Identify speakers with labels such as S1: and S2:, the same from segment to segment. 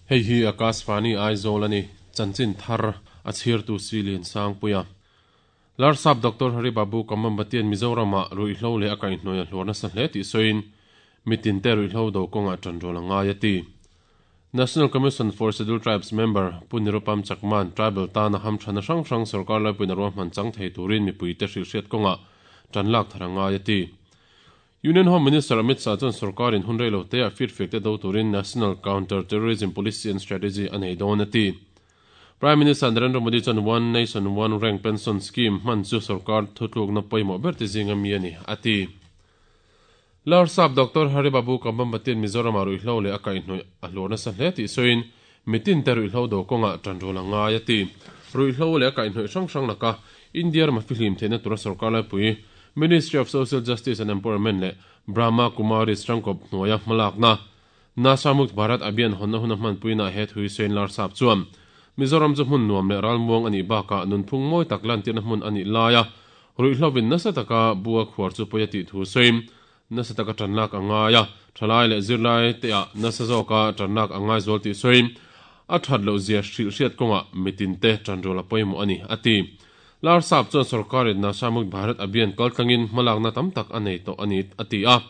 S1: Hei hi Akashvani Aizawl a ni, chanchin thar a chhirtu Silian Sangpuia. Larsap Doctor Hari Babu Kambambatian Mizoramah ruihhlo leh a kaihhnawih a hluar nasa hle tih sawiin, mitinte ruihhlo do kawngah tanrual a ngai a ti. National Commission for Scheduled Tribes member Pu Nirupam Chakman tribal tana hamthana hrang hrang sorkar laipuiin a ruahman chang thei turin mipuite hrilhhriat kawngah tan lak thar a ngai a ti. Union Home Minister Amit Shah chuan sorkarin hun rei lo teah firfiakte do turin National Counter Terrorism Policy and Strategy a nei dawn a ti. Prime Minister Narendra Modi chuan One Nation One Rank Pension Scheme hman chu sorkar thutlukna pawimawh ber te zinga mi a ni a ti. Larsap Doctor Hari Babu Kambambatian Mizoramah ruihhlo leh a kaihhnawih a hluar nasa hle tih sawiin mitinte ruihhlo do kawngah tanrual a ngai a ti. Ruihhlo leh a kaihhnawih hrang hrang laka India rama fihlim theihna tura sorkar laipui Ministry of Social Justice and Empowerment leh Brahma Kumaris Tangkawp hnuaia hmalakna Nasha Mukt Bharat Abhiyan hawnna huna hmanpuinaah he thui sawiin Larsap chuan Mizoram chu hmun nuam leh ralmuang a nih bakah nunphung mawi tak lantirna hmun a nih laia Ruihhlovin nasa taka bu a khuar chu pawi a tih thu sawiin, nasa taka tanlak a ngai a, thalai leh zirlai teah nasa zawka tanlak a ngai zual tih sawiin, a that loh zia hrilh hriat kawngah mitinte tanrual a pawimawh a ni, a ti. Larsap chuan sorkarin Nasha Mukt Bharat Abhiyan kaltlangin hmalakna tam tak a nei tawh a ni, a ti a.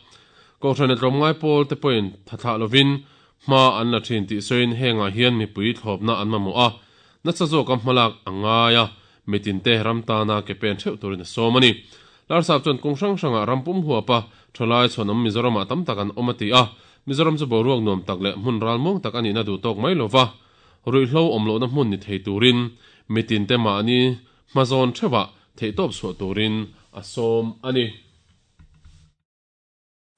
S1: Kohhran leh tlawmngai pawl te pawhin thathlah lovin hma an la thin tih sawiin hengah hian mipui thlawpna an mamawh a, nasa zawka hmalak a ngai a, Mitinte ram tana ke pen theuh turin a sawm a ni. Larsap chuan kawng hrang hrangah ram pum huapa thalai chhuanawm Mizoramah tam tak an awm a ti a, Mizoram chu boruak nuam tak leh hmun ralmuang tak a nihna duh tawk mai lova, ruihhlo awm lohna hmun ni thei turin mitinte mahni hmazawn theuhah theihtawp chhuah turin a sawm a ni.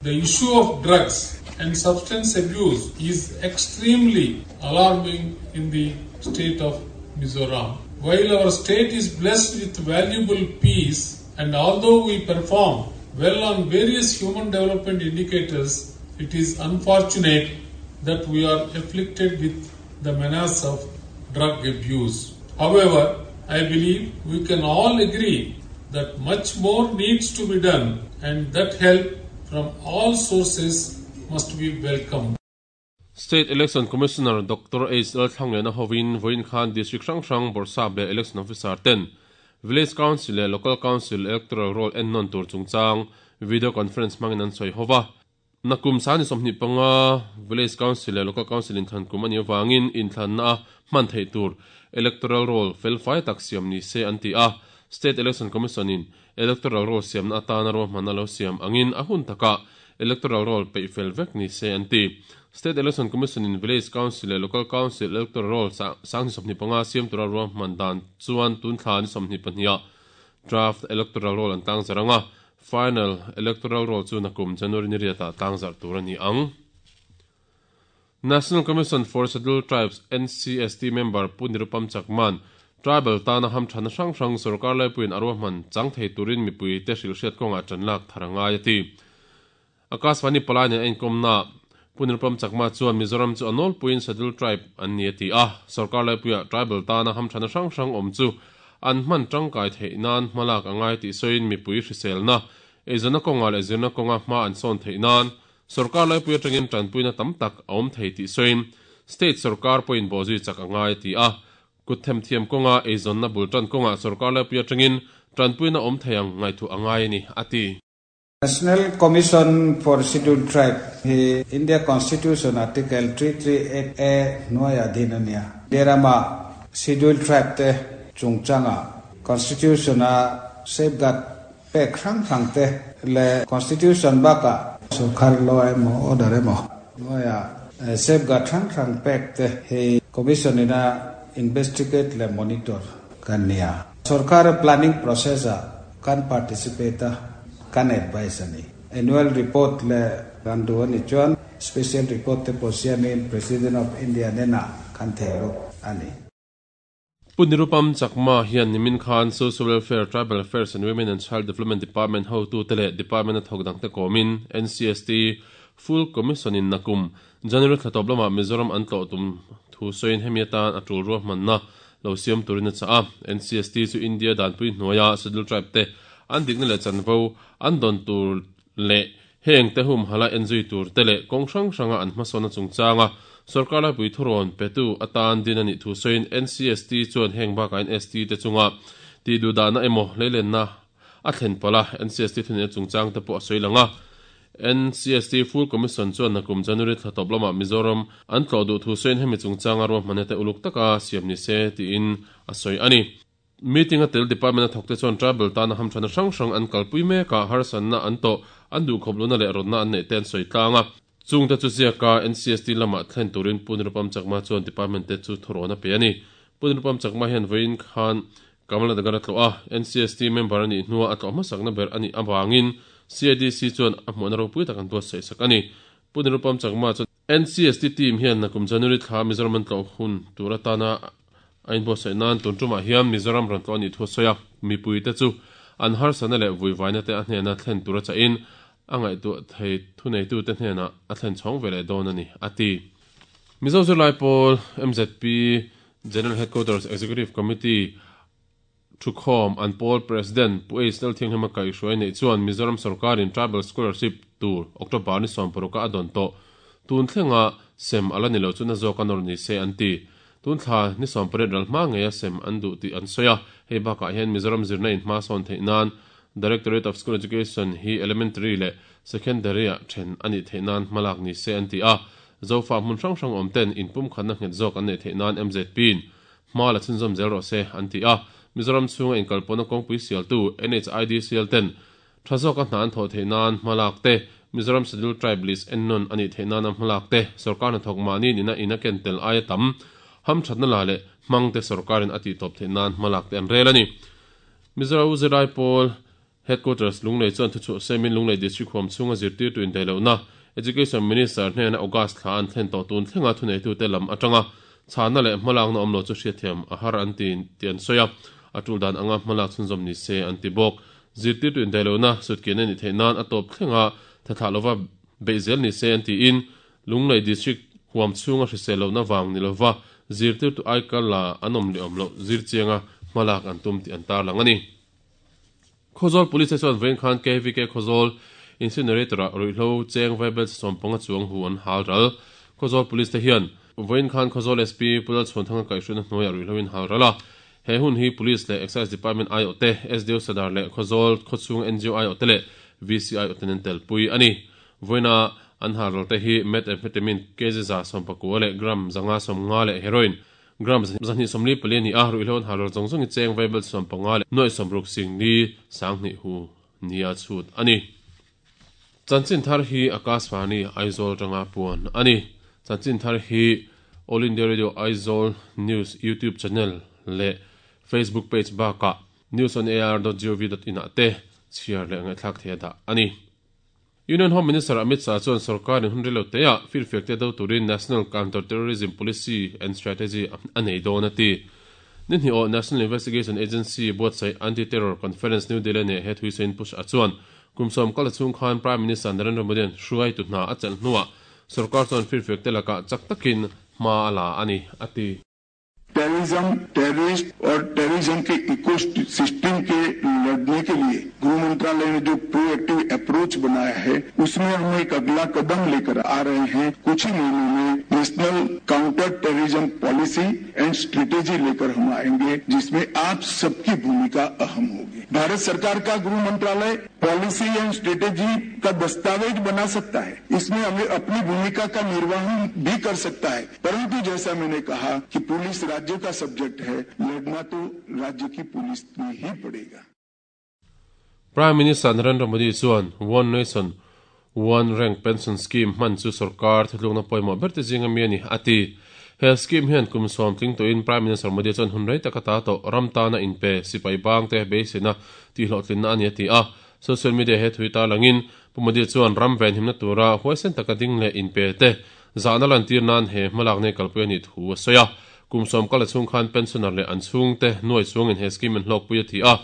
S2: The issue of drugs and substance abuse is extremely alarming in the state of Mizoram. While our state is blessed with valuable peace and although we perform well on various human development indicators, it is unfortunate that we are afflicted with the menace of drug abuse. However, I believe we can all agree that much more needs to be done and that help from all sources must be welcomed.
S1: State Election Commissioner Doctor H Lalthlangliana hovin vawiin khan District hrang hrang Bawrhsap leh Election Officer ten Village Council leh Local Council Electoral Roll ennawn tur chungchang Video Conference hmangin an sawi hova. Nakum sani 25 Village Council leh Local Council inthlan kum a nih avangin inthlanna a hman theih tur Electoral Roll felfai tak siam ni se an ti a. State Election Commission in Electoral Roll siamna atana ruahmanna lo siam angin a hun takah Electoral Roll peih fel vek ni se an ti. State Election Commission in Village Council leh Local Council Electoral Roll sang 25 siam tura ruahman dan chuan tun thla ni 22 ah Draft Electoral Roll an tlangzarh ang a, Final Electoral Roll chu nakum January ni riatah tlangzarh tur a ni ang. National Commission for Scheduled Tribes, NCST, member Pu Nirupam Chakman, Tribal tana hamthana hrang hrang sorkar laipuiin a ruahman chang thei turin mipuite hrilhhriat kawngah tanlak thar a ngai a ti. Akashvani palai nen a inkawmnaah Pu Nirupam Chakma chuan Mizoram chu a nawlpuiin Scheduled Tribe an ni a ti a, sorkar laipuiah tribal tana hamthana hrang hrang awm chu an hman tangkai theih nan hmalak a ngai tih sawiin mipui hriselna, eizawnna kawngah leh zirna kawnga hma an sawn theih nan sorkar laipui atangin tanpuina tam tak a awm thei tih sawiin state sorkar pawhin bawhzui chak a ngai a ti a, kut themthiam kawnga eizawnna bul tan kawngah sorkar laipui atangin tanpuina awm thei ang ngaihtuah a ngai a ni a ti.
S3: National Commission for Scheduled Tribe hi India Constitution Article 338A hnuaiah din a nia. India rama Scheduled Tribe te chungchanga Constitution-a safeguard pek hrang hrang te leh Constitution bakah sorkar law emaw order emaw hnuaiah safeguard hrang hrang pek te hi Commission ina investigate leh monitor kan nia. Sorkar planning process-ah Kan participate a, kan advice a ni. Annual report leh kan duh a ni chuan special report te pawh siamin President of India hnenah kan thei lut a ni.
S1: Pu Nirupam Chakma hian nimin khan Social Welfare, Tribal Affairs and Women and Child Development Department hotute leh Department a thawk dangte kawmin NCST Full Commission in nakum January thla tawp lamah Mizoram an tlawh tum thu sawiin hemi atan a tul ruahmanna lo siam turin a chah a. NCST chu India danpui hnuaia Scheduled Tribe te an dikna leh chanvo an dawn tur leh heng te humhala enzui tur te leh kawng hrang hranga an hmasawnna chungchanga Sorkar laipui thurawn petu atan din a nih thu sawiin NCST chuan heng bakah hian ST te chunga tihduhdahna emaw hleilenna a thlen palh a, NCST thuneihna chungchang te pawh a sawi lang a. NCST Full Commission chuan nakum January thla tawp lamah Mizoram an tlawh duh thu sawiin hemi chungchanga ruahmanna te uluk taka siam ni se tiin a sawi a ni. Meeting a tel department a thawkte chuan tribal tana hamthana hrang hrang an kalpui mek a, harsatna an tawh, an duhkhawp lohna leh rawtna an neih te an sawi tlang a. Chungte chu ziaka NCST lamah thlen turin Pu Nirupam Chakma chuan department te chu thurawn a pe a ni. Pu Nirupam Chakma hian vawiin khan Kamalanagar a tlawh a, NCST member a nih hnua a tlawh hmasakna ber a nih avangin CIDC chuan a hmuhna ropui tak an buatsaih sak a ni. Pu Nirupam Chakma chuan NCST team hian nakum January thla Mizoram an tlawh hun tur atana a inbuatsaih nan tun tumah hian Mizoram rawn tlawh a nih thu a sawi a, mipuite chu an harsatna leh vuivaina te a hnena thlen tur a chahin a ngaihtuah thei thuneitute hnenah a thlen chhawng ve leh dawn a ni, a ti. Mizo zirlai pawl mzp General Headquarters Executive Committee Thukhawm an pawl President Pu H Lalthianghlima kaihhruai neih chuan Mizoram sorkarin Tribal Scholarship tur October ni sawmparuka a dawn tawh. Tun thlenga sem a la ni lo chu na zawk a nawr ni se an ti. Tun thla ni 18 ral hma ngeia sem an duh tih an sawi a. Hei bakah hian Mizoram zirna in hma sawn theih nan Directorate of School Education hi Elementary leh Secondary-ah then a nih theih nan hmalak ni se an ti a. Zofa hmun hrang hrang awm ten inpumkhatna nghet zawk an neih theih nan MZP-in Hma la chhunzawm zel rawh se, an ti a. Mizoram chhunga inkalpawhna kawngpui sialtu NHIDCL ten tha zawka hna an thawh theih nan hma lak te, Mizoram Scheduled Tribe List ennawn a nih theih nana hma lak te, sorkar hnathawk mahni nihna in a ken tel aia tam hamthatna la leh hmang te sorkarin a tihtawp theih nan hma lak te an rel a ni. Mizoram Zirlai Pawl Headquarters Lunglei chuan thuchhuah semin Lunglei District huam chhunga zirtirtu indaihlohna Education Minister hnena August thla an thlen tawh tun thlenga thuneitute lam atanga chhahna leh hmalakna awm lo chu hriatthiam a har an ti tih an sawi a, a tul dan anga hmalak chhunzawm ni se an ti bawk. Zirtirtu indaihlohna sutkian a nih theih nan a tawp thlenga thathlah lova beih zel ni se an tiin Lunglei District huam chhunga hrisel lohna vang ni lova zirtirtu aikal la an awm leh awm loh zirchianga hmalak an tum tih an tarlang a ni. Khawzawl Police te chuan vawiin khan KVK Khawzawl Incinerator ah ruihhlo cheng vaibel 15 chuang hu an hal ral. Khawzawl Police te hian vawiin khan Khawzawl SP Pu Lalchhuanthanga kaihhruaina hnuaiah ruihhlo in hal ral a. He hun hi Police leh Excise Department aiawh te, SDO Sadar leh Khawzawl khawchhung NGO aiawh te leh VC aiawh ten an telpui a ni. Vawiina an hal ral te hi Methamphetamine kg 119 leh gram 550 leh Heroin Gram 244 a ni a, ruihhlo an hal ral zawng zawng i cheng vaibel 15 leh nuaih 60 singli 2000 hu nia chhut a ni. Chanchin thar hi Akashvani Aizawl atanga puan a ni. Chanchin thar hi All India Radio Aizawl News YouTube channel leh Facebook page bakah newsonair.gov.in ah te chhiar leh ngaihthlak theih a dah a ni. Union Home Minister Amit Shah chuan sorkarin hun rilo teah firfiak te do turin National Counter Terrorism Policy and Strategy a nei dawn a ti. Ni hnih awh National Investigation Agency buatsaih Anti-Terror Conference New Delhi neh he thuisain Pu Shah chuan kum sawm kal chhung khan Prime Minister Narendra Modi-a'n hruaitu hna a chelh hnuah sorkar chuan firfiak te lakah chak takin hma a la a ni a ti.
S4: Terrorism, terrorist और terrorism के eco system के लड़ने के लिए गृह मंत्रालय ने जो प्रोएक्टिव अप्रोच बनाया है उसमें हम एक अगला कदम लेकर आ रहे हैं कुछ ही महीनों में national counter terrorism policy and strategy लेकर हम आएंगे जिसमें आप सबकी भूमिका अहम होगी भारत सरकार का गृह मंत्रालय policy and strategy का दस्तावेज बना सकता है इसमें हमें अपनी भूमिका का निर्वहन भी कर सकता है परंतु जैसा मैंने कहा कि पुलिस राज्य का सब्जेक्ट है लड़ना तो राज्य की पुलिस में ही पड़ेगा
S1: Prime Minister Narendra Modi chuan One Nation, One Rank Pension Scheme hman chu sorkar thutlukna pawimawh ber te zinga mi a ni, a ti. He scheme hian kum sawm tling tawhin Prime Minister Modi chuan hun rei taka ta tawh ram tana inpe sipai bang te beiseina tihhlawhtlinna a ni a ti a. Social media he thui tarlangin Pu Modi chuan ram venhimna tura huaisen taka ding leh inpe te zahna lantir nan he hmalak nei kalpui a nih thu a sawi a. Kum sawm kal a chhung khan pensioner leh an chhungte nuai chungin he scheme an hlawkpui a ti a.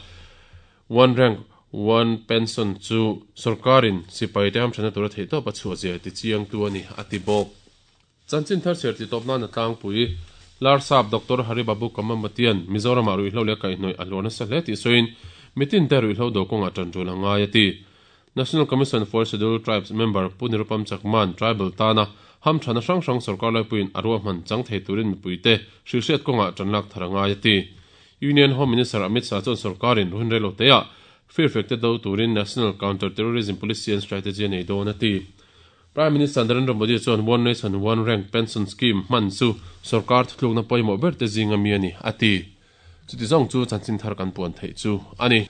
S1: One Rank One Pension chu sorkarin sipaite hamthatna tura theihtawp a chhuah zia ti chiangtu a ni, a ti bawk. Chanchin thar chhiar tih tawp nan a tlangpui. Larsap Doctor Hari Babu Kamamatian Mizoramah ruihhlo leh kaihhnawih a hluar nasa hle tih sawiin mitin te ruihhlo do kawngah tan tul a ngai a ti. National Commission for Scheduled Tribes member Pu Nirupam Chakman tribal tana Hamthana hrang hrang sorkar laipuiin a ruahman chang thei turin mipuite hrilhhriat kawngah tan lak thar a ngai a ti. Union Home Minister Amit Shah chuan sorkarin hun rei lo teah firfek te do turin National Counter Terrorism Policy and Strategy a nei dawn a ti. Prime Minister Narendra Modi chuan One Nation One Rank Pension Scheme hman chu sorkar thutlukna pawimawh ber te zinga mi a ni a ti. Chuti zawng chu chanchin thar kan puan theih chu a ni.